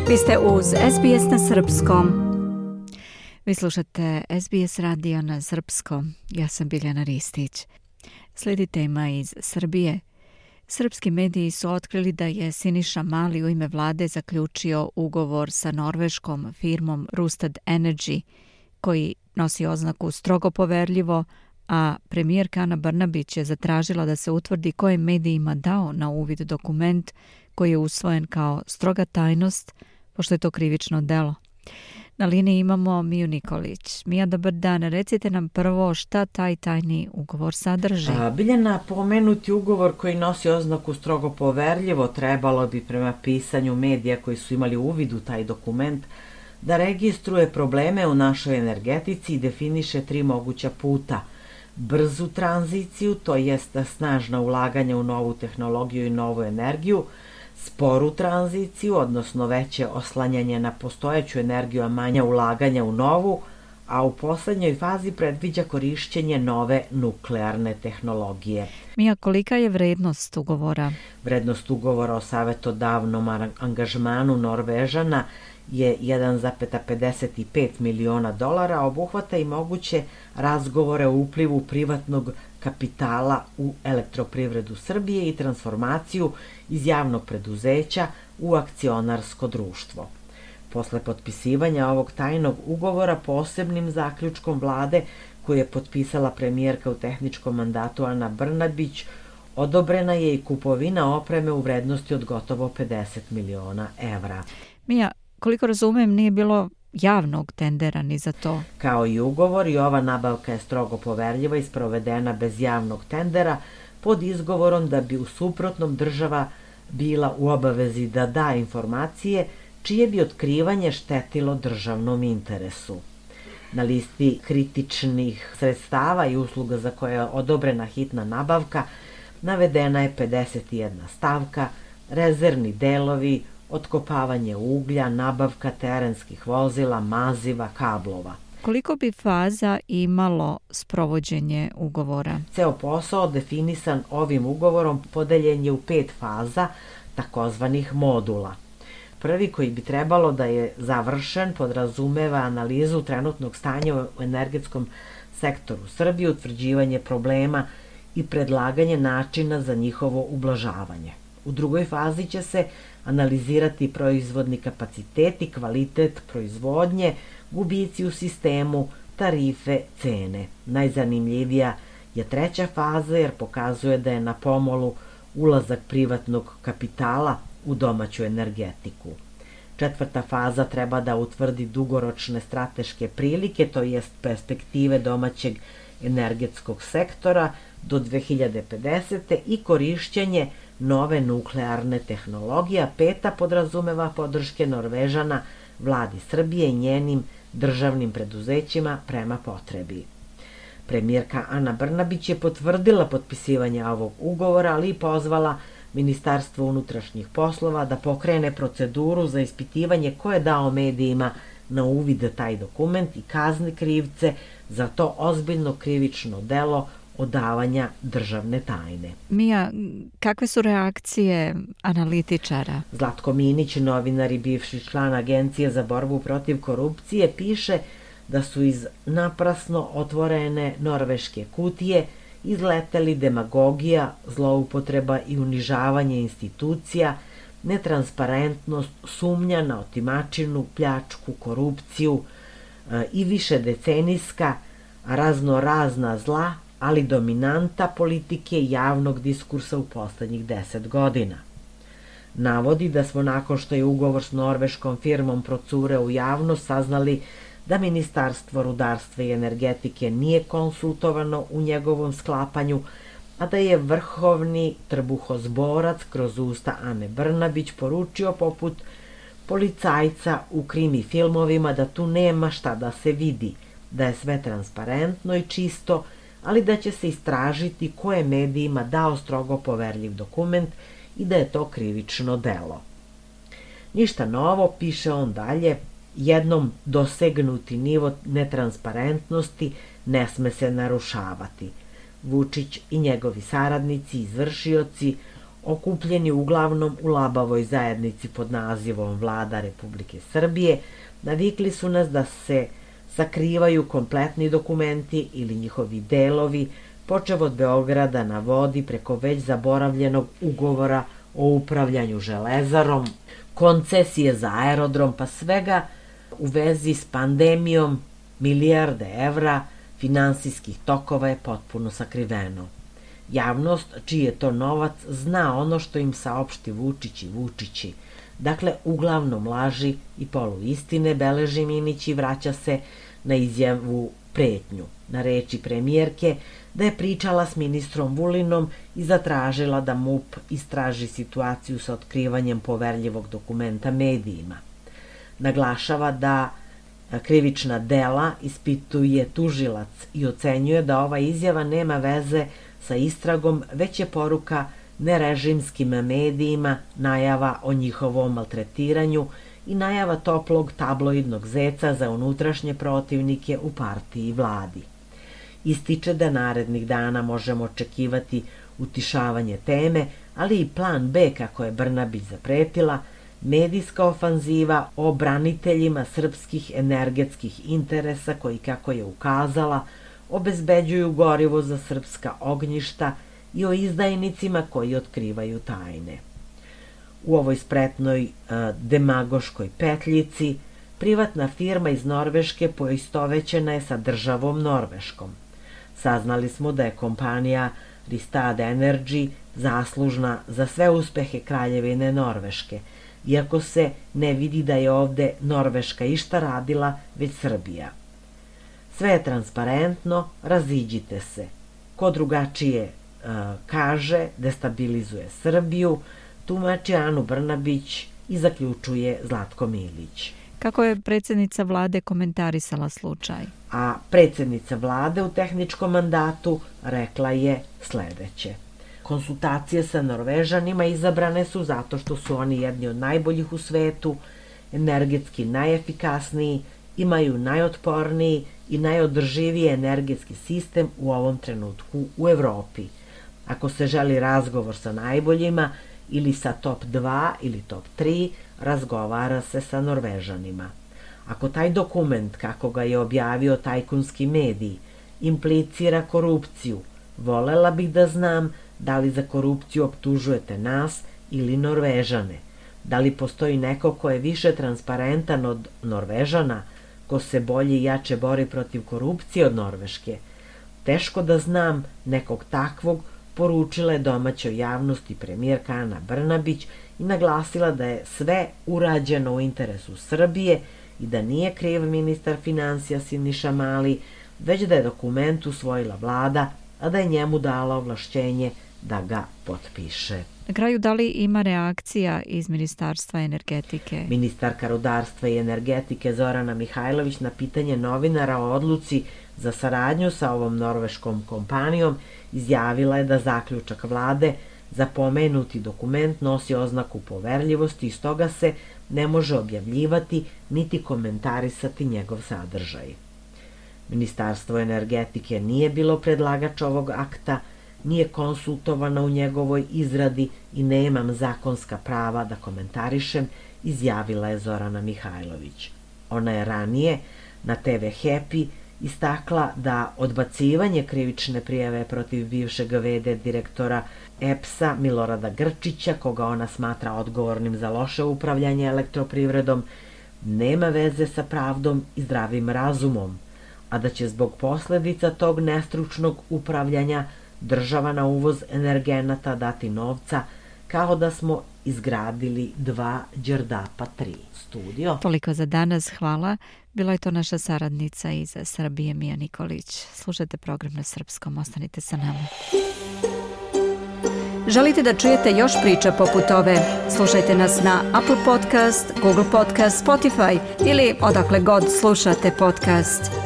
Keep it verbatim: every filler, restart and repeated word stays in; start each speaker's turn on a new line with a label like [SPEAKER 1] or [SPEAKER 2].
[SPEAKER 1] Vi ste uz S B S na srpskom. Vi slušate S B S radio na srpskom. Ja sam Biljana Ristić. Slijedi tema iz Srbije. Srpski mediji su otkrili da je Siniša Mali u ime vlade zaključio ugovor sa norveškom firmom Rystad Energy, koji nosi oznaku strogo poverljivo, a premijerka Ana Brnabić je zatražila da se utvrdi ko je medijima dao na uvid dokument koji je usvojen kao stroga tajnost, pošto je to krivično delo. Na liniji imamo Miju Nikolić. Mija, dobar dan. Recite nam prvo šta taj tajni ugovor sadrži.
[SPEAKER 2] A, Biljana, pomenuti ugovor koji nosi oznaku strogo poverljivo trebalo bi prema pisanju medija koji su imali uvid u taj dokument da registruje probleme u našoj energetici i definiše tri moguća puta. Brzu tranziciju, to jest snažna ulaganja u novu tehnologiju i novu energiju, sporu tranziciju, odnosno veće oslanjanje na postojeću energiju, a manja ulaganja u novu, a u poslednjoj fazi predviđa korišćenje nove nuklearne tehnologije.
[SPEAKER 1] Mija, kolika je vrednost ugovora?
[SPEAKER 2] Vrednost ugovora o savetodavnom angažmanu Norvežana je jedan zarez pedeset pet miliona dolara, obuhvata i moguće razgovore o uplivu privatnog kapitala u elektroprivredu Srbije i transformaciju iz javnog preduzeća u akcionarsko društvo. Posle potpisivanja ovog tajnog ugovora posebnim zaključkom vlade koju je potpisala premijerka u tehničkom mandatu Ana Brnabić, odobrena je i kupovina opreme u vrednosti od gotovo pedeset miliona evra.
[SPEAKER 1] Mija, koliko razumem, nije bilo javnog tendera ni za to.
[SPEAKER 2] Kao i ugovor, i ova nabavka je strogo poverljiva i sprovedena bez javnog tendera pod izgovorom da bi u suprotnom država bila u obavezi da da informacije čije bi otkrivanje štetilo državnom interesu. Na listi kritičnih sredstava i usluga za koje je odobrena hitna nabavka navedena je pedeset jedna stavka, rezervni delovi, otkopavanje uglja, nabavka terenskih vozila, maziva, kablova.
[SPEAKER 1] Koliko bi faza imalo sprovođenje ugovora?
[SPEAKER 2] Ceo posao definisan ovim ugovorom podeljen je u pet faza, takozvanih modula. Prvi, koji bi trebalo da je završen, podrazumeva analizu trenutnog stanja u energetskom sektoru Srbije, utvrđivanje problema i predlaganje načina za njihovo ublažavanje. U drugoj fazi će se analizirati proizvodni kapacitet i kvalitet proizvodnje, gubici u sistemu, tarife, cene. Najzanimljivija je treća faza jer pokazuje da je na pomolu ulazak privatnog kapitala u domaću energetiku. Četvrta faza treba da utvrdi dugoročne strateške prilike, to jest perspektive domaćeg energetskog sektora do dve hiljade pedesete. i korišćenje nove nuklearne tehnologije, a peta podrazumeva podrške Norvežana, vladi Srbije i njenim državnim preduzećima prema potrebi. Premijerka Ana Brnabić je potvrdila potpisivanje ovog ugovora, ali i pozvala Ministarstvo unutrašnjih poslova da pokrene proceduru za ispitivanje ko je dao medijima na uvid taj dokument i kazni krivce za to ozbiljno krivično delo odavanja državne tajne.
[SPEAKER 1] Mija, kakve su reakcije analitičara?
[SPEAKER 2] Zlatko Minić, novinar i bivši član Agencije za borbu protiv korupcije, piše da su iz naprasno otvorene norveške kutije izleteli demagogija, zloupotreba i unižavanje institucija, netransparentnost, sumnja na otimačinu, pljačku, korupciju e, i više decenijska raznorazna zla, ali dominanta politike i javnog diskursa u poslednjih deset godina. Navodi da smo nakon što je ugovor s norveškom firmom procureo u javnost saznali da Ministarstvo rudarstva i energetike nije konsultovano u njegovom sklapanju, a da je vrhovni trbuhozborac kroz usta Ane Brnabić poručio poput policajca u krimi filmovima da tu nema šta da se vidi, da je sve transparentno i čisto, ali da će se istražiti ko je medijima dao strogo poverljiv dokument i da je to krivično delo. Ništa novo, piše on dalje, jednom dosegnuti nivo netransparentnosti ne sme se narušavati. Vučić i njegovi saradnici, izvršioci, okupljeni uglavnom u labavoj zajednici pod nazivom Vlada Republike Srbije, navikli su nas da se sakrivaju kompletni dokumenti ili njihovi delovi, počev od Beograda na vodi preko već zaboravljenog ugovora o upravljanju železarom, koncesije za aerodrom, pa svega u vezi s pandemijom, milijarde evra finansijskih tokova je potpuno sakriveno. Javnost, čiji je to novac, zna ono što im saopšti Vučić i Vučići. Dakle, uglavnom laži i poluistine, beleži Minić i vraća se na izjavu pretnju, na reči premijerke da je pričala s ministrom Vulinom i zatražila da M U P istraži situaciju sa otkrivanjem poverljivog dokumenta medijima. Naglašava da krivična dela ispituje tužilac i ocenjuje da ova izjava nema veze sa istragom, već je poruka nerežimskim medijima, najava o njihovom maltretiranju i najava toplog tabloidnog zeca za unutrašnje protivnike u partiji i vladi. Ističe da narednih dana možemo očekivati utišavanje teme, ali i plan B, kako je Brnabić zapretila, medijska ofanziva o braniteljima srpskih energetskih interesa koji, kako je ukazala, obezbeđuju gorivo za srpska ognjišta i o izdajnicima koji otkrivaju tajne. U ovoj spretnoj e, demagoškoj petljici privatna firma iz Norveške poistovećena je sa državom Norveškom. Saznali smo da je kompanija Ristad Energy zaslužna za sve uspehe Kraljevine Norveške, iako se ne vidi da je ovde Norveška išta radila, već Srbija. Sve je transparentno, raziđite se. Ko drugačije e, kaže, destabilizuje Srbiju, tumači Anu Brnabić i zaključuje Zlatko Milić.
[SPEAKER 1] Kako je predsjednica vlade komentarisala slučaj?
[SPEAKER 2] A predsjednica vlade u tehničkom mandatu rekla je sledeće. Konsultacije sa Norvežanima izabrane su zato što su oni jedni od najboljih u svetu, energetski najefikasniji, imaju najotporniji i najodrživiji energetski sistem u ovom trenutku u Evropi. Ako se želi razgovor sa najboljima ili sa top dva ili top tri, razgovara se sa Norvežanima. Ako taj dokument, kako ga je objavio tajkunski medij, implicira korupciju, volela bih da znam da li za korupciju optužujete nas ili Norvežane. Da li postoji neko ko je više transparentan od Norvežana, ko se bolje i jače bori protiv korupcije od Norveške? Teško da znam nekog takvog, poručila je domaćoj javnosti premijerka Ana Brnabić i naglasila da je sve urađeno u interesu Srbije i da nije kriv ministar finansija Siniša Mali, već da je dokument usvojila vlada, a da je njemu dala ovlašćenje da ga potpiše.
[SPEAKER 1] Na kraju, da li ima reakcija iz Ministarstva energetike?
[SPEAKER 2] Ministarka rudarstva i energetike Zorana Mihajlović na pitanje novinara o odluci za saradnju sa ovom norveškom kompanijom izjavila je da zaključak vlade za pomenuti dokument nosi oznaku poverljivosti i stoga se ne može objavljivati niti komentarisati njegov sadržaj. Ministarstvo energetike nije bilo predlagač ovog akta, nije konsultovana u njegovoj izradi i nemam zakonska prava da komentarišem, izjavila je Zorana Mihajlović. Ona je ranije na te ve Happy istakla da odbacivanje krivične prijave protiv bivšeg ve de direktora E P S-a Milorada Grčića, koga ona smatra odgovornim za loše upravljanje elektroprivredom, nema veze sa pravdom i zdravim razumom, a da će zbog posledica tog nestručnog upravljanja država na uvoz energenata dati novca, kao da smo izgradili dva Đerdapa tri. Studio.
[SPEAKER 1] Toliko za danas, hvala. Bila je to naša saradnica iz Srbije, Mija Nikolić. Slušajte program na srpskom, ostanite sa nama. Želite da čujete još priča poput ove? Slušajte nas na Apple Podcast, Google Podcast, Spotify ili odakle god slušate podcast.